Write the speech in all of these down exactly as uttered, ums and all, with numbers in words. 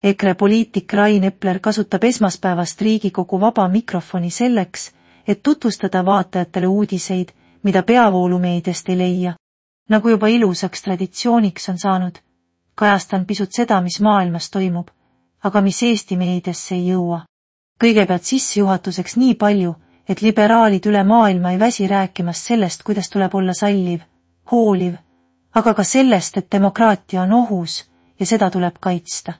EKRE poliitik Rain Epler kasutab esmaspäevast Riigikogu vaba mikrofoni selleks, et tutvustada vaatajatele uudiseid, mida peavoolumeediast ei leia. Nagu juba ilusaks traditsiooniks on saanud, kajastan pisut seda, mis maailmas toimub, aga mis Eesti meediasse ei jõua. Kõigepealt sissejuhatuseks nii palju, et liberaalid üle maailma ei väsi rääkimast sellest, kuidas tuleb olla salliv, hooliv, aga ka sellest, et demokraatia on ohus ja seda tuleb kaitsta.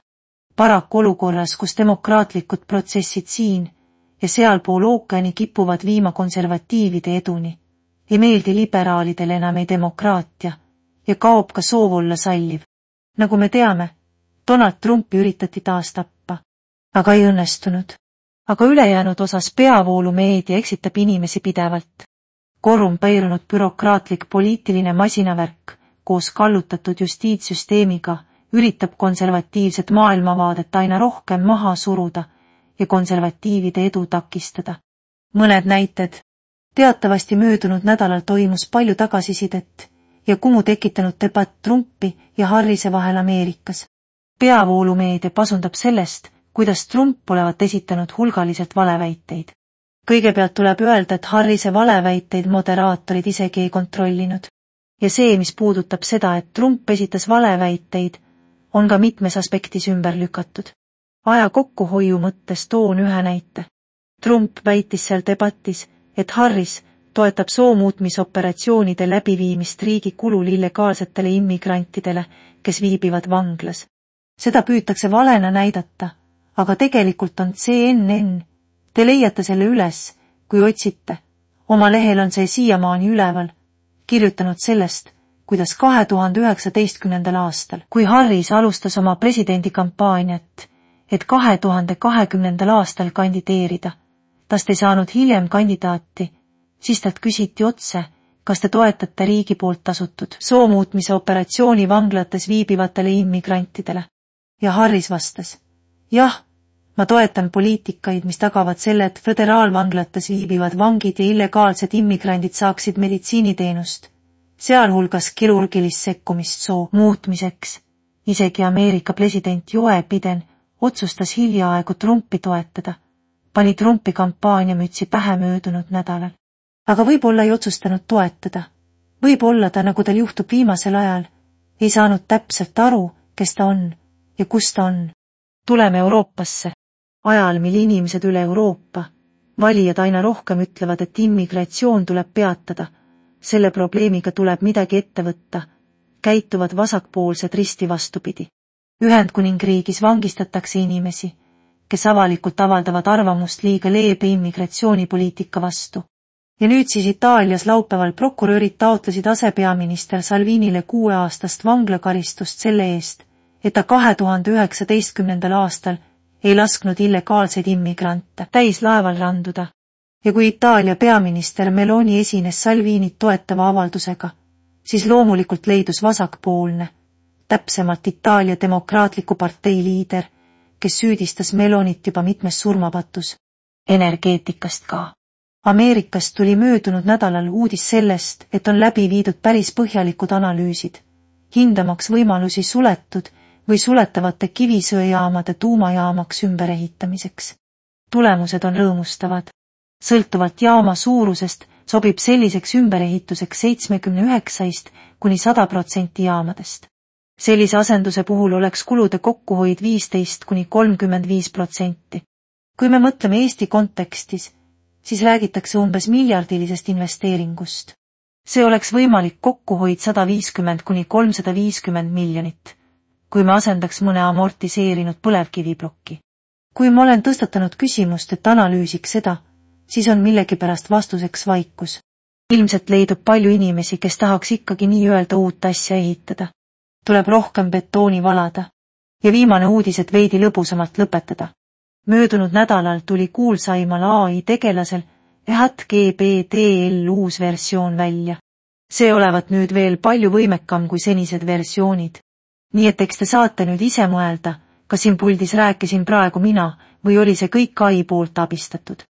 Paraku olukorras, kus demokraatlikud protsessid siin ja sealpool ookeani kipuvad viima konservatiivide eduni, ei meeldi liberaalidele enam ei demokraatia ja kaob ka soov olla salliv. Nagu me teame, Donald Trumpi üritati taas tappa, aga ei õnnestunud. Aga ülejäänud osas peavoolumeedia eksitab inimesi pidevalt. Korrumpeerunud bürokraatlik poliitiline masinavärk koos kallutatud justiitssüsteemiga üritab konservatiivset maailmavaadet aina rohkem maha suruda ja konservatiivide edu takistada. Mõned näited. Teatavasti möödunud nädalal toimus palju tagasisidet ja kumu tekitanud debatt Trumpi ja Harrise vahel Ameerikas. Peavoolumeedia pasundab sellest, kuidas Trump olevat esitanud hulgaliselt valeväiteid. Kõigepealt tuleb öelda, et Harrise valeväiteid moderaatorid isegi ei kontrollinud. Ja see, mis puudutab seda, et Trump esitas valeväiteid, on ka mitmes aspektis ümber lükatud. Aja kokkuhoiu mõttes toon ühe näite. Trump väitis seal debatis, et Harris toetab soomuutmisoperatsioonide läbiviimist riigi kulul illegaalsetele immigrantidele, kes viibivad vanglas. Seda püütakse valena näidata, aga tegelikult on C N N. Te leiate selle üles, kui otsite. Oma lehel on see siiamaani üleval, kirjutanud sellest, kuidas kahe tuhande üheksateistkümnendal aastal, kui Harris alustas oma presidendikampaaniat, et kahe tuhande kahekümnendal aastal kandideerida, tast ei saanud hiljem kandidaati, siis talt küsiti otse, kas te toetate riigi poolt tasutud soomuutmise operatsiooni vanglates viibivatele immigrantidele. Ja Harris vastas, jah, ma toetan poliitikaid, mis tagavad selle, et föderaalvanglates viibivad vangid ja illegaalsed immigrandid saaksid meditsiiniteenust, sealhulgas kirurgilist sekkumist soo muutmiseks. Isegi Ameerika president Joe Biden otsustas hiljaaegu Trumpi toetada, pani Trumpi kampaaniamütsi pähe möödunud nädalal. Aga võib-olla ei otsustanud toetada. Võib-olla ta, nagu tal juhtub viimasel ajal, ei saanud täpselt aru, kes ta on ja kus ta on. Tuleme Euroopasse. Ajal, mil inimesed üle Euroopa, valijad aina rohkem ütlevad, et immigratsioon tuleb peatada, selle probleemiga tuleb midagi ette võtta, käituvad vasakpoolsed risti vastupidi. Ühendkuningriigis vangistatakse inimesi, kes avalikult avaldavad arvamust liiga leebe immigratsioonipoliitika vastu. Ja nüüd siis Itaalias laupäeval prokurörid taotlesid asepeaminister Salvinile kuueaastast vanglakaristust selle eest, et ta kahe tuhande üheksateistkümnendal aastal ei lasknud illegaalseid immigrante täis laeval randuda. Ja kui Itaalia peaminister Meloni esines Salvinit toetava avaldusega, siis loomulikult leidus vasakpoolne, täpsemalt Itaalia demokraatliku partei liider, kes süüdistas Melonit juba mitmes surmapatus. Energeetikast ka. Ameerikast tuli möödunud nädalal uudis sellest, et on läbi viidud päris põhjalikud analüüsid, hindamaks võimalusi suletud või suletavate kivisöejaamade tuumajaamaks ümberehitamiseks. Tulemused on rõõmustavad. Sõltuvalt jaama suurusest sobib selliseks ümberehituseks seitsekümmend üheksa kuni sada protsenti jaamadest. Sellise asenduse puhul oleks kulude kokkuhoid viisteist kuni kolmkümmend viis protsenti. Kui me mõtleme Eesti kontekstis, siis räägitakse umbes miljardilisest investeeringust. See oleks võimalik kokkuhoid sada viiskümmend kuni kolmsada viiskümmend miljonit, kui me asendaks mõne amortiseerinud põlevkiviplokki. Kui ma olen tõstatanud küsimust, et analüüsiks seda, siis on millegipärast vastuseks vaikus. Ilmselt leidub palju inimesi, kes tahaks ikkagi nii-öelda uut asja ehitada. Tuleb rohkem betooni valada. Ja viimane uudis, et veidi lõbusamalt lõpetada. Möödunud nädalal tuli kuulsaimal A I tegelasel ChatGPT uus versioon välja. See olevat nüüd veel palju võimekam kui senised versioonid. Nii et eks te saate nüüd ise mõelda, kas siin puldis rääkisin praegu mina või oli see kõik A I poolt abistatud.